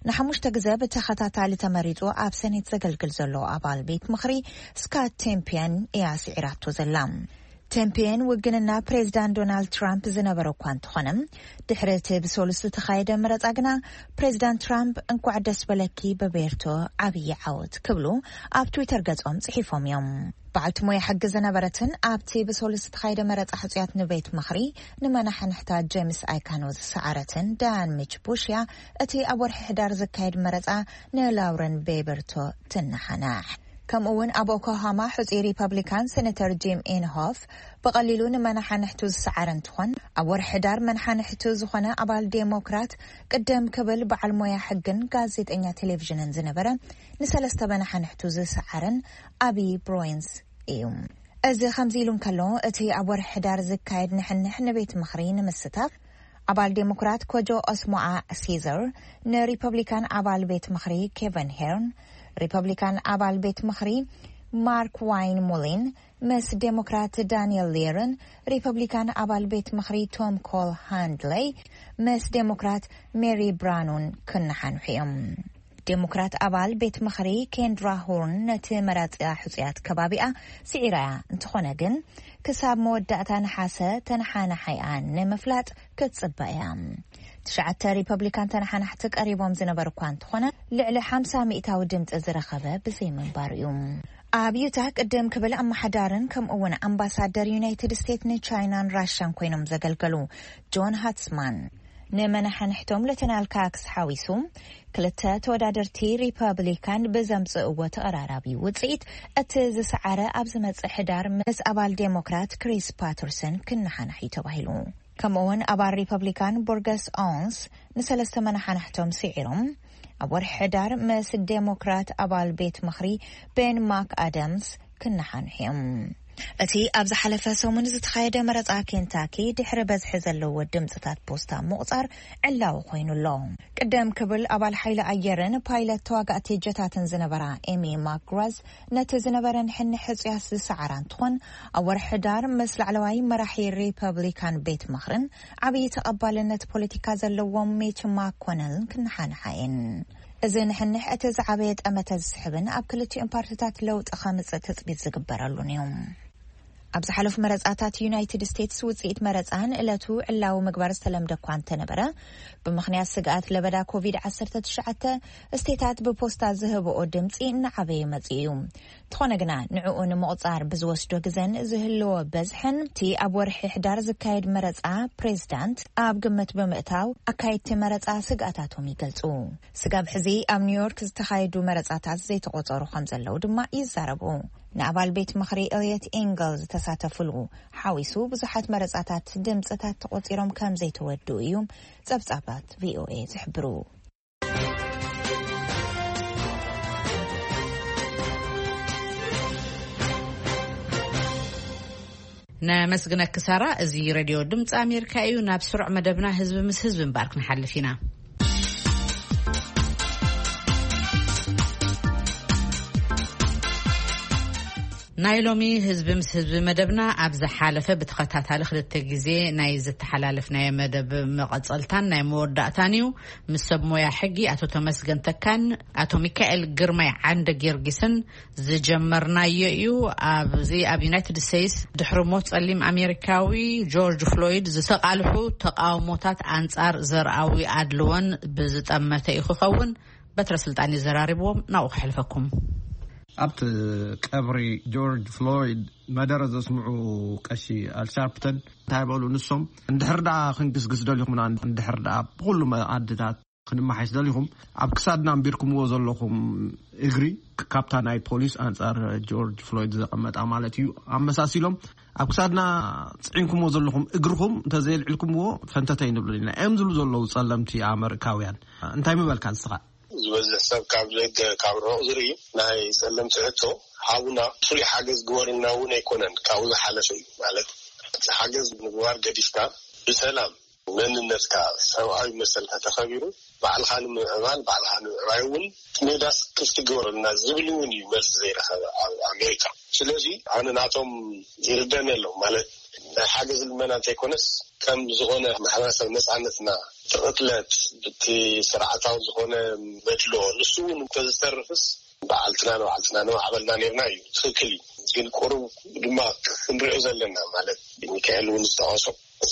ንሓሙሽተ ግዘ ብተኸታታሊ ተመሪጹ ኣብ ሰኔት ዘገልግል ዘሎ ኣባል ቤት ምኽሪ ስካት ቴምፒየን እያ ስዒራቶ ዘላ። ቴምፒየን ውግንና ፕሬዚዳንት ዶናልድ ትራምፕ ዝነበረ እኳ እንተኾነ፣ ድሕሪ እቲ ብሰሉስ ዝተኻየደ መረጻ ግና ፕሬዚዳንት ትራምፕ "እንኳዕ ደስ በለኪ በቤርቶ፣ ዓብዪ ዓወት" ክብሉ ኣብ ትዊተር ገጾም ጽሒፎም እዮም። በዓልቲ ሞያ ሕጊ ዝነበረትን ኣብቲ ብሰሉስ ዝተኻየደ መረጻ ሕጹያት ንቤት ምኽሪ ንመናሕንሕታ ጄምስ ኣይካኖ ዝሰዓረትን ዳያን ሚች ቡሽያ፣ እቲ ኣብ ወርሒ ሕዳር ዝካየድ መረጻ ንላውረን ቤበርቶ ትነሓናሕ። ከምኡ እውን ኣብ ኦክላሆማ ሕጹይ ሪፐብሊካን ሴኔተር ጂም ኢንሆፍ ብቐሊሉ ንመናሓንሕቱ ዝሰዓረ እንትኾን፣ ኣብ ወርሒ ሕዳር መናሓንሕቱ ዝኾነ ኣባል ዴሞክራት ቅደም ክብል በዓል ሞያ ሕግን ጋዜጠኛ ቴሌቪዥንን ዝነበረ ንሰለስተ መናሓንሕቱ ዝሰዓረን ኣቢ ብሮይንስ እዩ። እዚ ከምዚ ኢሉ እንከሎ፣ እቲ ኣብ ወርሒ ሕዳር ዝካየድ ንሕንሕ ንቤት ምኽሪ ንምስታፍ ኣባል ዴሞክራት ኮጆ ኦስሞኣ ሲዘር ንሪፐብሊካን ኣባል ቤት ምኽሪ ኬቨን ሄርን፣ ሪፐብሊካን ኣባል ቤት ምኽሪ ማርክ ዋይን ሙሊን ምስ ዴሞክራት ዳንኤል ሌርን ሪፐብሊካን ኣባል ቤት ምኽሪ ቶም ኮል ሃንድለይ ምስ ዴሞክራት ሜሪ ብራኑን ክነሓንሑ እዮም። ዴሞክራት ኣባል ቤት ምኽሪ ኬንድራ ሆርን ነቲ መራጺኣ ሕጹያት ከባቢኣ ስዒራ እያ። እንተኾነ ግን፣ ክሳብ መወዳእታ ነሓሰ ተነሓናሓይኣ ንምፍላጥ ክትጽበ እያ። ትሽዓተ ሪፐብሊካን ተነሓናሕቲ ቀሪቦም ዝነበሩ እኳ እንተኾነ፣ ልዕሊ ሓምሳ ሚእታዊ ድምጺ ዝረኸበ ብዘይምንባሩ እዩ። ኣብ ዩታ ቅድም ክብል ኣመሓዳርን ከምኡ እውን ኣምባሳደር ዩናይትድ ስቴትስ ንቻይናን ራሽያን ኮይኖም ዘገልገሉ ጆን ሃትስማን፣ ንመናሕንሕቶም ለተናል ካክስ ሓዊሱ ክልተ ተወዳደርቲ ሪፐብሊካን ብዘምጽእዎ ተቐራራቢ ውጽኢት፣ እቲ ዝሰዓረ ኣብ ዝመጽእ ሕዳር ምስ ኣባል ዴሞክራት ክሪስ ፓተርሰን ክነሓናሕ እዩ ተባሂሉ። ከምኡ እውን ኣባል ሪፐብሊካን ቦርገስ ኦንስ ንሰለስተ መናሓንሕቶም ስዒሮም ኣብ ወርሒ ሕዳር ምስ ዴሞክራት ኣባል ቤት ምኽሪ ቤን ማክ ኣደምስ ክነሓንሑ እዮም። እቲ ኣብ ዝሓለፈ ሰሙን ዝተኻየደ መረጻ ኬንታኪ ድሕሪ በዝሒ ዘለዎ ድምጽታት ፖስታ ምቑጻር ዕላዊ ኮይኑ ኣሎ። ቅደም ክብል ኣባል ሓይሊ ኣየርን ፓይለት ተዋጋእቲ ጀታትን ዝነበራ ኤሚ ማክግራዝ ነቲ ዝነበረ ንሕንሕ ሕጹያት ዝሰዓራ እንትኾን፣ ኣብ ወርሒ ሕዳር ምስ ላዕለዋይ መራሒ ሪፐብሊካን ቤት ምኽርን ዓብዪ ተቐባልነት ፖለቲካ ዘለዎም ሚች ማኮነልን ክነሓንሓ እየን። እዚ ንሕንሕ እቲ ዝዓበየ ጠመተ ዝስሕብን ኣብ ክልቲኦም ፓርቲታት ለውጢ ከምጽእ ትጽቢት ዝግበረሉን እዩ። ኣብ ዝሓለፉ መረጻታት ዩናይትድ ስቴትስ ውጽኢት መረጻ ንዕለቱ ዕላዊ ምግባር ዝተለምደ እኳ እንተነበረ፣ ብምኽንያት ስግኣት ለበዳ ኮቪድ ዓሰርተ ትሽዓተ ስቴታት ብፖስታ ዝህብኦ ድምጺ እናዓበየ መጺኡ እዩ። እንተኾነ ግና ንዕኡ ንምቑጻር ብዝወስዶ ግዘን ዝህልዎ በዝሕን እቲ ኣብ ወርሒ ሕዳር ዝካየድ መረጻ ፕሬዝዳንት ኣብ ግምት ብምእታው ኣካየድቲ መረጻ ስግኣታቶም ይገልጹ። ስጋብ ሕዚ ኣብ ኒውዮርክ ዝተኻየዱ መረጻታት ዘይተቖጸሩ ከም ዘለዉ ድማ ይዛረቡ። ንኣባል ቤት ምኽሪ ኤልየት ኢንገል ዝተሳተፉሉ ሓዊሱ ብዙሓት መረጻታት ድምጽታት ተቖጺሮም ከም ዘይተወድኡ እዮም ጸብጻባት ቪኦኤ ዝሕብሩ። ነመስግነኪ ሳራ። እዚ ሬድዮ ድምፂ ኣሜሪካ እዩ። ናብ ስሩዕ መደብና ህዝቢ ምስ ህዝቢ እምበኣር ክንሓልፍ ኢና። ናይ ሎሚ ህዝቢ ምስ ህዝቢ መደብና ኣብ ዝሓለፈ ብተኸታታሊ ክልተ ግዜ ናይ ዝተሓላለፍናዮ መደብ መቐጸልታን ናይ መወዳእታን እዩ። ምስ ሰብ ሞያ ሕጊ ኣቶ ተመስገን ተካን ኣቶ ሚካኤል ግርማይ ዓንደ ጊዮርጊስን ዝጀመርናዮ እዩ። ኣብዚ ኣብ ዩናይትድ ስቴትስ ድሕሪ ሞት ጸሊም ኣሜሪካዊ ጆርጅ ፍሎይድ ዝተቓልሑ ተቃውሞታት ኣንጻር ዘርኣዊ ኣድልዎን ብዝጠመተ እዩ ክኸውን። በትረ ስልጣን እዩ ዘራሪብዎም። ናብኡ ከሕልፈኩም። ኣብቲ ቀብሪ ጆርጅ ፍሎይድ መደረ ዘስምዑ ቀሺ ኣልሻርፕተን እንታይ በሉ? ንሶም፣ እንድሕር ደኣ ክንግስግስ ደሊኹምና፣ እንድሕር ደኣ ብኹሉ መኣድታት ክንመሓይሽ ደሊኹም፣ ኣብ ክሳድና ኣንቢርኩምዎ ዘለኹም እግሪ፣ ካብታ ናይ ፖሊስ ኣንጻር ጆርጅ ፍሎይድ ዘቐመጣ ማለት እዩ፣ ኣመሳሲሎም፣ ኣብ ክሳድና ጽዒንኩምዎ ዘለኹም እግርኹም እንተዘየልዕልኩምዎ ፈንተተ ኣይንብሉን ኢና እዮም ዝብሉ ዘለዉ ጸለምቲ ኣመሪካውያን። እንታይ ምበልካ ንስኻ? ዝበዝሕ ሰብ ካብ ደገ፣ ካብ ርሑቕ ዝርኢ ናይ ጸለምቲ ሕቶ፣ ሃቡና፣ ፍሉይ ሓገዝ ግበሩልና እውን ኣይኮነን፣ ካብኡ ዝሓለፈ እዩ። ማለት፣ እቲ ሓገዝ ምግባር ገዲፍካ፣ ብሰላም መንነትካ፣ ሰብኣዊ መሰልካ ተኸቢሩ፣ ባዕልኻ ንምምዕባል፣ ባዕልኻ ንምዕባይ እውን ሜዳስ ክፍቲ ግበሩልና ዝብል እውን እዩ መልሲ ዘይረኸበ ኣብ ኣሜሪካ። ስለዚ፣ ኣነ ናቶም ይርደን የሎም። ማለት፣ ናይ ሓገዝ ልመና እንተይኮነስ፣ ከም ዝኾነ ማሕበረሰብ ነፃነትና፣ እቲ ቅትለት፣ እቲ ስርዓታዊ ዝኾነ መድሎ፣ ንሱ እውን እንተዝተርፍስ፣ በዓልትና ንባዕልትና ንማዕበልና ነርና እዩ። ትኽክል እዩ። ግን ቁሩብ ድማ ክንሪኦ ዘለና፣ ማለት፣ ሚካኤል እውን ዝጠቐሶ፣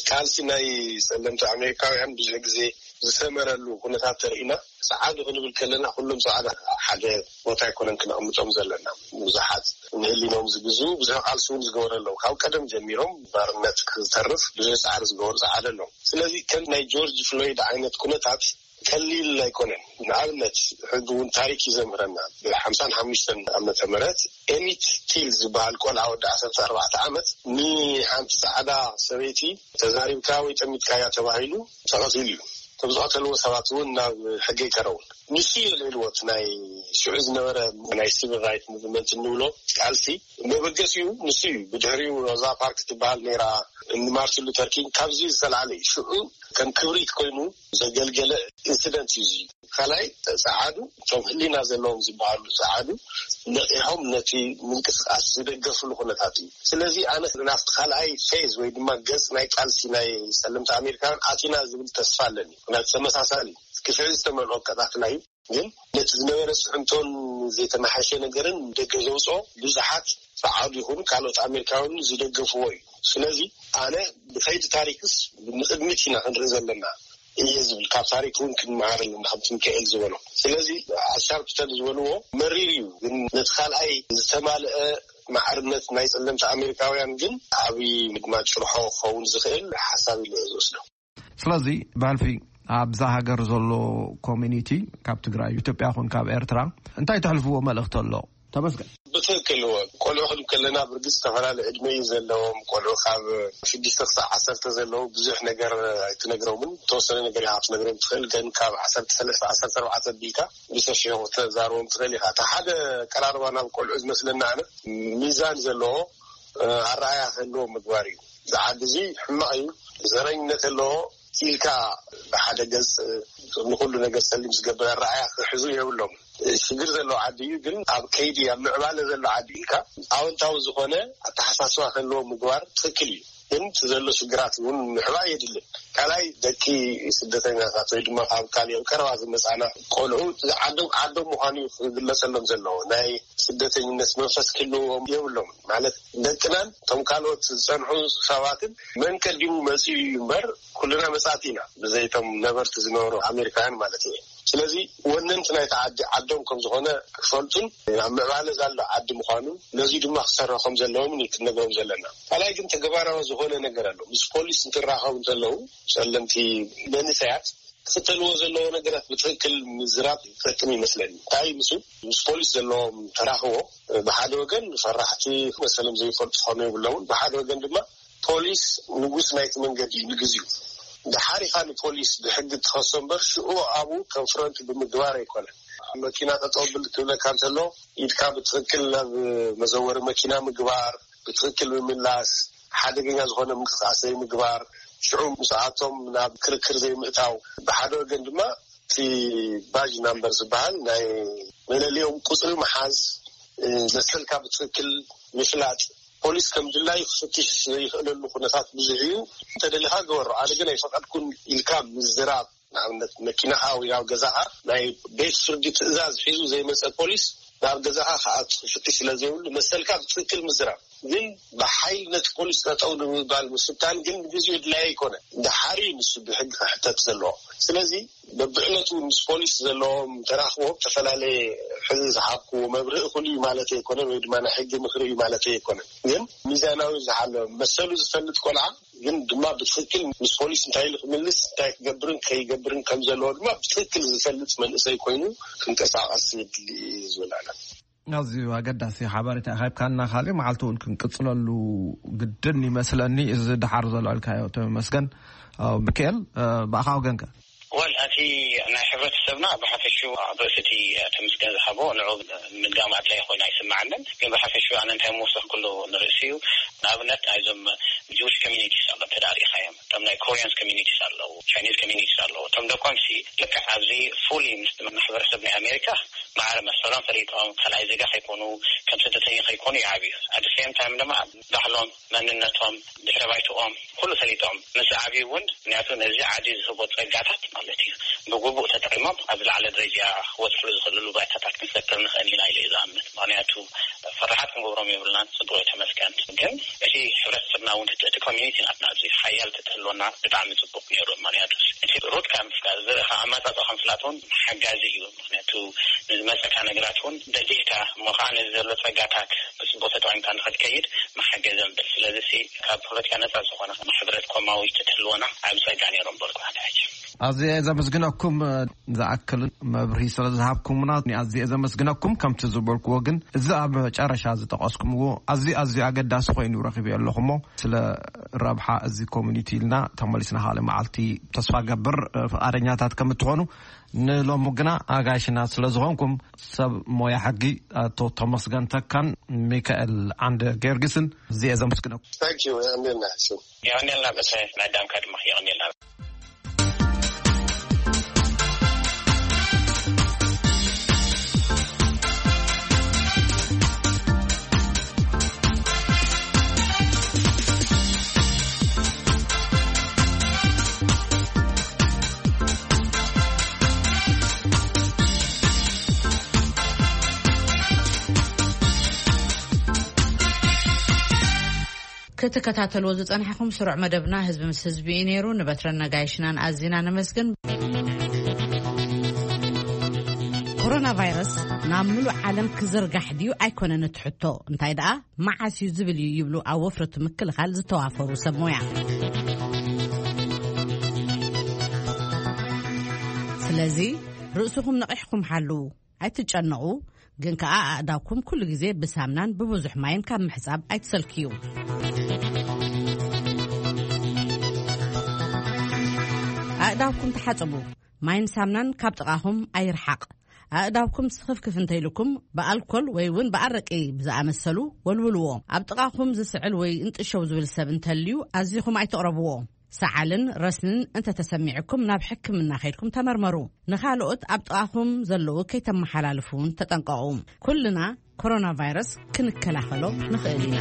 ቃልሲ ናይ ጸለምቲ ኣሜሪካውያን ብዙሕ ግዜ ዝሰመረሉ ኩነታት ተርኢና። ጸዓዱ ክንብል ከለና፣ ኩሎም ጸዓዱ ሓደ ቦታ ኣይኮነን ክነቕምጦም ዘለና። ብዙሓት ንህሊኖም ዝግዙ ብዙሕ ቃልሲ እውን ዝገበሩ ኣለዉ። ካብ ቀደም ጀሚሮም ባርነት ክዝተርፍ ብዙሕ ጻዕሪ ዝገበሩ ጸዓዱ ኣለዉ። ስለዚ፣ ከም ናይ ጆርጅ ፍሎይድ ዓይነት ኩነታት ቀሊል ኣይኮነን። ንኣብነት፣ ሕጂ እውን ታሪክ እዩ ዘምህረና። ብሓምሳን ሓሙሽተን ዓመተ ምህረት፣ ኤሚት ቲል ዝበሃል ቆልዓ ወዲ ዓሰርተ ኣርባዕተ ዓመት ንሓንቲ ጻዕዳ ሰበይቲ ተዛሪብካ ወይ ጠሚትካያ ተባሂሉ ተቐቲሉ እዩ። እቶም ዝቐተልዎ ሰባት እውን ናብ ሕጊ ኣይቀረቡን። ንሱ እዩ ኣልዒልዎ፣ እቲ ናይ ሽዑ ዝነበረ ናይ ሲቪል ራይት ሙቭመንት እንብሎ ቃልሲ መበገሲኡ ንሱ እዩ። ብድሕሪኡ ሮዛ ፓርክ ትበሃል ነይራ፣ ንማርቲን ሉተር ኪንግ ካብዚ ዝተላዕለ እዩ። ሽዑ ከም ክብሪት ኮይኑ ዘገልገለ ኢንሲደንት እዩ እዚ። ካልኣይ፣ ጸዓዱ፣ እቶም ህሊና ዘለዎም ዝበሃሉ ጸዓዱ ነቒሖም ነቲ ምንቅስቃስ ዝደገፍሉ ኩነታት እዩ። ስለዚ፣ ኣነ ናብቲ ካልኣይ ፌዝ ወይ ድማ ገጽ ናይ ቃልሲ ናይ ጸለምቲ ኣሜሪካውያን ኣቲና ዝብል ተስፋ ኣለኒ። ምክንያቱ፣ ተመሳሳሊ ግፍዒ ዝተመልኦ ኣቀጣጥላ እዩ። ግን ነቲ ዝነበረ ጽዕንቶን ዘይተመሓሸ ነገርን ደገ ዘውጽኦ፣ ብዙሓት ጸዓዱ ይኹኑ ካልኦት ኣሜሪካውያን ዝደገፍዎ እዩ። ስለዚ፣ ኣነ ብኸይዲ ታሪክስ ንቕድሚት ኢና ክንርኢ ዘለና እየ ዝብል። ካብ ታሪክ እውን ክንመሃር ኣለና፣ ከምቲ ሚካኤል ዝበሎ። ስለዚ፣ ኣሻርፕተን ዝበልዎ መሪር እዩ፣ ግን ነቲ ካልኣይ ዝተማልአ ማዕርነት ናይ ጸለምቲ ኣሜሪካውያን ግን ዓብዪ ድማ ጭርሖ ክኸውን ዝኽእል ሓሳብ ኢለ እየ ዝወስዶ። ስለዚ፣ ብሕልፊ ኣብዛ ሃገር ዘሎ ኮሚኒቲ፣ ካብ ትግራይ፣ ኢትዮጵያ ይኹን ካብ ኤርትራ፣ እንታይ ተሕልፍዎ መልእኽቲ ኣሎ? ተመስገን። ብትክክል እዎ። ቆልዑ ክንብ ከለና፣ ብርግጽ ዝተፈላለየ ዕድመ እዩ ዘለዎም። ቆልዑ ካብ ሽዱሽተ ክሳብ ዓሰርተ ዘለዉ ብዙሕ ነገር ኣይትነግሮምን። ዝተወሰነ ነገር ኢኻ ክትነግሮም ትኽእል፣ ግን ካብ ዓሰርተ ሰለስተ፣ ዓሰርተ ኣርባዕተ ኣቢልካ ብሰፊሑ ክትዛረቦም ትኽእል ኢኻ። እቲ ሓደ ቀራርባ ናብ ቆልዑ ዝመስለና ኣነ፣ ሚዛን ዘለዎ፣ ኣረኣያ ክህልዎ ምግባር እዩ። ዝዓዲ እዚ ሕማቕ እዩ፣ ዘረኝነት ኣለዎ ኢልካ ብሓደ ገጽ ንኩሉ ነገር ጸሊም ዝገብር ኣረኣያ ክሕዙ የብሎም። ሽግር ዘለዎ ዓዲ እዩ፣ ግን ኣብ ከይዲ ኣብ ምዕባለ ዘሎ ዓዲ ኢልካ ኣወንታዊ ዝኾነ ኣተሓሳስባ ክህልዎ ምግባር ትኽክል እዩ። ግን እቲ ዘሎ ሽግራት እውን ምሕባእ የድልን። ካልኣይ፣ ደቂ ስደተኛታት ወይ ድማ ካብ ካልእ ቀረባ ዝመጻና ቆልዑ ዓዶም ዓዶም ምዃኑ እዩ ክግለጸሎም ዘለዎ። ናይ ስደተኝነት መንፈስ ክህልዎም የብሎም። ማለት፣ ደቅናን እቶም ካልኦት ዝጸንሑ ሰባትን መን ቀዲሙ መጺኡ እዩ እምበር፣ ኩልና መጻእቲ ኢና፣ ብዘይቶም ነበርቲ ዝነበሩ ኣሜሪካውያን ማለት እዩ። ስለዚ ወነንቲ ናይቲ ዓዲ ዓዶም ከም ዝኾነ ክፈልጡን ኣብ ምዕባለ ዘሎ ዓዲ ምዃኑ፣ ነዚ ድማ ክሰርሑ ከም ዘለዎም እዩ ክንነግሮም ዘለና። ካልኣይ ግን፣ ተግባራዊ ዝኾነ ነገር ኣሎ። ምስ ፖሊስ እንትራኸቡ እንተለዉ፣ ጸለምቲ መንእሰያት ክኽተልዎ ዘለዎ ነገራት ብትኽክል ምዝራብ ይጠቅም ይመስለኒ። እንታይ ምስ ምስ ፖሊስ ዘለዎም ተራኽቦ፣ ብሓደ ወገን ፈራሕቲ፣ መሰሎም ዘይፈልጡ ክኾኑ የብሎምን። ብሓደ ወገን ድማ ፖሊስ ንጉስ ናይቲ መንገዲ እዩ ንግዚኡ። ደሓር ኢኻ ንፖሊስ ብሕጊ ትኸሶ እምበር፣ ሽዑ ኣብኡ ኮንፍሮንት ብምግባር ኣይኮነን። መኪና ጠጠው ብል ክብለካ እንተሎ፣ ኢድካ ብትኽክል ናብ መዘወሪ መኪና ምግባር፣ ብትኽክል ምምላስ፣ ሓደገኛ ዝኾነ ምንቅስቃስ ዘይምግባር፣ ሽዑ ምስኣቶም ናብ ክርክር ዘይምእታው፣ ብሓደ ወገን ድማ እቲ ባጅ ናምበር ዝበሃል ናይ መለሊኦም ቁፅሪ ምሓዝ፣ መሰልካ ብትኽክል ምፍላጥ፣ ፖሊስ ከም ድላዩ ክፍትሽ ዘይኽእለሉ ኩነታት ብዙሕ እዩ። እንተደሊኻ ግበሮ፣ ኣነ ግን ኣይፈቐድኩን ኢልካ ምዝራብ፣ ንኣብነት መኪናኻ ወይ ኣብ ገዛኻ ናይ ቤት ፍርዲ ትእዛዝ ሒዙ ዘይመፀ ፖሊስ ናብ ገዛኻ ክኣቱ ክፍትሽ ስለ ዘይብሉ፣ መሰልካ ብትኽክል ምዝራብ። ግን ብሓይሊ ነቲ ፖሊስ ጠጠው ንምባል ምፍታን ግን ንግዚኡ ድላይ ኣይኮነ። ደሓር እዩ ንሱ ብሕጊ ክሕተት ዘለዎ። ስለዚ በብዕለቱ ምስ ፖሊስ ዘለዎም ተራኽቦ ዝተፈላለየ፣ ሕዚ ዝሃብክዎ መብርሂ እኹል እዩ ማለት ኣይኮነን፣ ወይ ድማ ናይ ሕጊ ምኽሪ እዩ ማለት ኣይኮነን። ግን ሚዛናዊ ዝሓለ መሰሉ ዝፈልጥ ቆልዓ፣ ግን ድማ ብትኽክል ምስ ፖሊስ እንታይ ኢሉ ክምልስ፣ እንታይ ክገብርን ከይገብርን ከም ዘለዎ ድማ ብትኽክል ዝፈልጥ መንእሰይ ኮይኑ ክንቀሳቐስ የድሊ እዩ ዝብል ኣነ። ኣዝዩ ኣገዳሲ ሓበሬታ ሃብካና። ካልእ መዓልቲ እውን ክንቅጽለሉ ግድን ይመስለኒ። እዚ ደሓር ዘሎ ኣልካዮ ተመስገን። ኣው ሚካኤል፣ እ፣ ብኣኻ ወገንከ? ወል፣ እቲ ናይ ሕብረተሰብና ብሓፈሹ ኣብ ርእሲ እቲ ተመስገን ዝሃቦ ንዑ ምድጋም ኣድላይ ኮይኑ ኣይስምዓንን። ግን ብሓፈሹ ኣነ እንታይ ምወሰኽኩሉ ንርእሲ እዩ። ንኣብነት ናይዞም ጅዊሽ ኮሚኒቲስ ኣሎ እንተ ዳኣ ርኢኻዮም፣ እቶም ናይ ኮሪያንስ ኮሚኒቲስ ኣለዉ፣ ቻይኒዝ ኮሚኒቲስ ኣለዉ። እቶም ደቆምሲ ልክዕ ኣብዚ ፉሊ ምስ ማሕበረሰብ ናይ ኣሜሪካ ማዕረ መሰሎም ፈሊጦም፣ ካልኣይ ዜጋ ከይኮኑ፣ ከም ስደተኛ ከይኮኑ ይዓብዩ። ኣት ሴም ታይም ድማ ባህሎም፣ መንነቶም፣ ድሕረ ባይትኦም ኩሉ ፈሊጦም ምስ ዓብዩ እውን፣ ምክንያቱ ነዚ ዓዲ ዝህቦ ጸጋታት ማለት እዩ፣ ብግቡእ ተጠቂሞም ኣብ ዝለዓለ ደረጃ ክበጽሕሉ ዝኽእልሉ ባይታታት ክንፈጥር ንኽእል ኢና ኢለ እዩ ዝኣምን። ምክንያቱ ፈራሓት ክንገብሮም የብልናን። ጽቡቕ እዩ፣ ተመስገን። ግን እቲ ሕብረተሰብና እውን፣ እቲ ኮሚኒቲ ናትና ኣብዚ ሓያል ተትህልወና ብጣዕሚ ጽቡቕ ነይሩ። ምክንያቱ እቲ ሩት ካብ ምፍላጥ፣ ዝርእ ካብ ኣመጻጽኣ ካብ ምፍላጥ እውን ሓጋዚ እዩ። ምክንያቱ ንዝመጸካ ነገራት እውን ደሊህካ፣ እሞ ከዓ ነዚ ዘሎ ጸጋታት ብጽቡቕ ተጠቂምካ ንኽትከይድ መሓገዘ ምብል። ስለዚ ሲ ካብ ፖለቲካ ነጻ ዝኾነ ሕብረት ኮማዊ ተትህልወና ዓቢ ጸጋ ነይሩ ምበልኩ ኣነ ሕጂ። ኣዝየ ዘመስግነኩም፣ ዝኣክል መብርሂ ስለ ዝሃብኩምና ኣዝየ ዘመስግነኩም። ከምቲ ዝበልክዎ ግን፣ እዚ ኣብ መጨረሻ ዝጠቐስኩምዎ ኣዝዩ፣ ኣዝዩ ኣገዳሲ ኮይኑ ረኺበዮ ኣለኹ። እሞ ስለ ረብሓ እዚ ኮሚኒቲ ኢልና ተመሊስና ካልእ መዓልቲ፣ ተስፋ ገብር፣ ፍቓደኛታት ከም እትኾኑ። ንሎሚ ግና ኣጋይሽና ስለ ዝኾንኩም፣ ሰብ ሞያ ሕጊ ኣቶ ተመስገን ተካን ሚካኤል ዓንደ ጊዮርጊስን ኣዝየ ዘመስግነኩም። ታንክ ዩ፣ የቐንየልና። የቐንየልና፣ በሰ ናይ ኣዳምካ ድማ የቐንየልና። ክትከታተልዎ ዝጸናሕኩም ስሩዕ መደብና ህዝቢ ምስ ህዝቢ እዩ ነይሩ። ንበትረን ነጋይሽናን ኣዚና ነመስግን። ኮሮና ቫይረስ ናብ ምሉእ ዓለም ክዝርጋሕ ድዩ ኣይኮነን እቲ ሕቶ፣ እንታይ ደኣ መዓስ እዩ ዝብል እዩ ይብሉ ኣብ ወፍሪ እቲ ምክልኻል ዝተዋፈሩ ሰብ ሞያ። ስለዚ ርእስኹም ነቒሕኩም ሓልዉ። ኣይትጨነቑ፣ ግን ከኣ ኣእዳውኩም ኩሉ ግዜ ብሳምናን ብብዙሕ ማይን ካብ ምሕጻብ ኣይትሰልክዩ። ኣእዳውኩም ተሓጽቡ፣ ማይን ሳምናን ካብ ጥቓኹም ኣይርሓቕ። ኣእዳውኩም ስኽፍክፍ እንተይልኩም ብኣልኮል ወይ እውን ብኣረቂ ብዝኣመሰሉ ወልውልዎ። ኣብ ጥቓኹም ዝስዕል ወይ እንጥሸው ዝብል ሰብ እንተልዩ ኣዚኹም ኣይተቕረብዎ። ሰዓልን ረስንን እንተተሰሚዕኩም ናብ ሕክምና ከይድኩም ተመርመሩ። ንኻልኦት ኣብ ጥቓኹም ዘለዉ ከይተመሓላልፉ እውን ተጠንቀቑ። ኩልና ኮሮና ቫይረስ ክንከላኸሎ ንኽእል ኢና።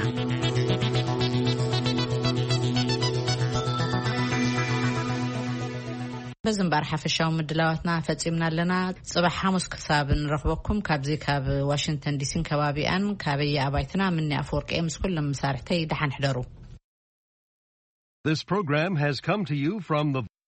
በዚ እምበኣር ሓፈሻዊ ምድላዋትና ፈጺምና ኣለና። ጽባሕ ሓሙስ ክሳብ ንረኽበኩም ካብዚ ካብ ዋሽንግተን ዲሲን ከባቢኣን ካበየ ኣባይትና ምኒ ኣፈወርቂ ምስ ኩሎም መሳርሕተይ ደሓን ሕደሩ። This program has come to you from the